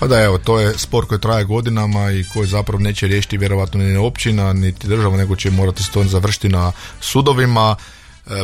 Pa da, evo, to je spor koji traje godinama i koji zapravo neće riješiti vjerovatno ni općina, niti država, nego će morati se to završiti na sudovima.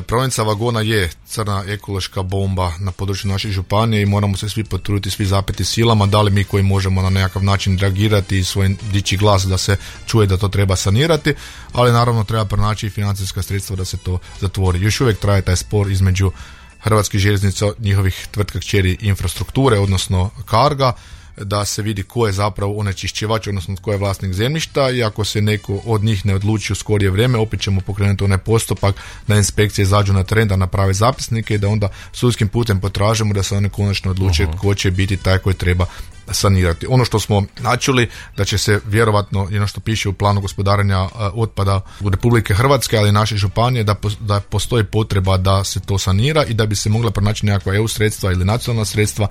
Prometnica vagona je crna ekološka bomba na području naše županije i moramo se svi potruditi, svi zapeti silama, da li mi koji možemo na nekakav način reagirati i svoj dići glas da se čuje da to treba sanirati, ali naravno treba pronaći i financijska sredstva da se to zatvori. Još uvijek traje taj spor između Hrvatskih željeznica, njihovih tvrtka kćeri infrastrukture, odnosno Carga, da se vidi ko je zapravo onečišćivač, odnosno tko je vlasnik zemljišta, i ako se neko od njih ne odluči u skorije vrijeme, opet ćemo pokrenuti onaj postupak da inspekcije izađu na teren, da naprave zapisnike i da onda sudskim putem potražimo da se one konačno odluče tko će biti taj koji treba sanirati. Ono što smo načuli da će se vjerovatno, ono što piše u planu gospodarenja otpada u Republike Hrvatske, ali i naše županije, da postoji potreba da se to sanira i da bi se mogla pronaći nekakva EU sredstva ili nacionalna sredstva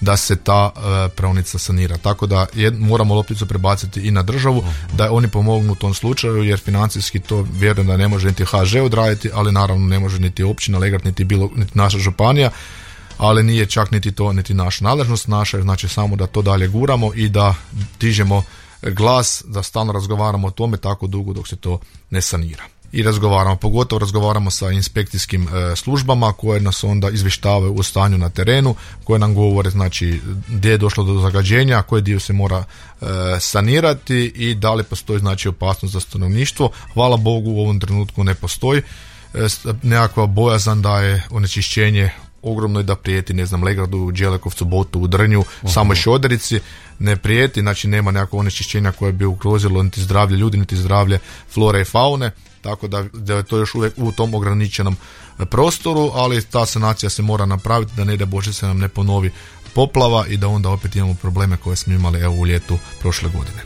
da se ta praonica sanira. Tako da moramo lopticu prebaciti i na državu, da oni pomognu u tom slučaju, jer financijski to vjerujem da ne može niti HŽ odraditi, ali naravno ne može niti općina Legrad, niti naša županija, ali nije čak niti to, niti naša nadležnost. Naša je znači samo da to dalje guramo i da dižemo glas, da stalno razgovaramo o tome tako dugo dok se to ne sanira. I pogotovo razgovaramo sa inspekcijskim službama koje nas onda izvještavaju o stanju na terenu, koje nam govore znači gdje je došlo do zagađenja, koji dio se mora sanirati i da li postoji znači opasnost za stanovništvo. Hvala Bogu u ovom trenutku ne postoji nekakva bojazan da je onečišćenje ogromno i da prijeti, ne znam, Legradu, Đelekovcu, Botu, u Drnju, samoj Šoderici ne prijeti, znači nema nekakvog onečišćenja koje bi ugrozilo niti zdravlje ljudi, niti zdravlje flore i faune, tako da je to još uvijek u tom ograničenom prostoru, ali ta sanacija se mora napraviti da ne da Bože se nam ne ponovi poplava i da onda opet imamo probleme koje smo imali u ljetu prošle godine.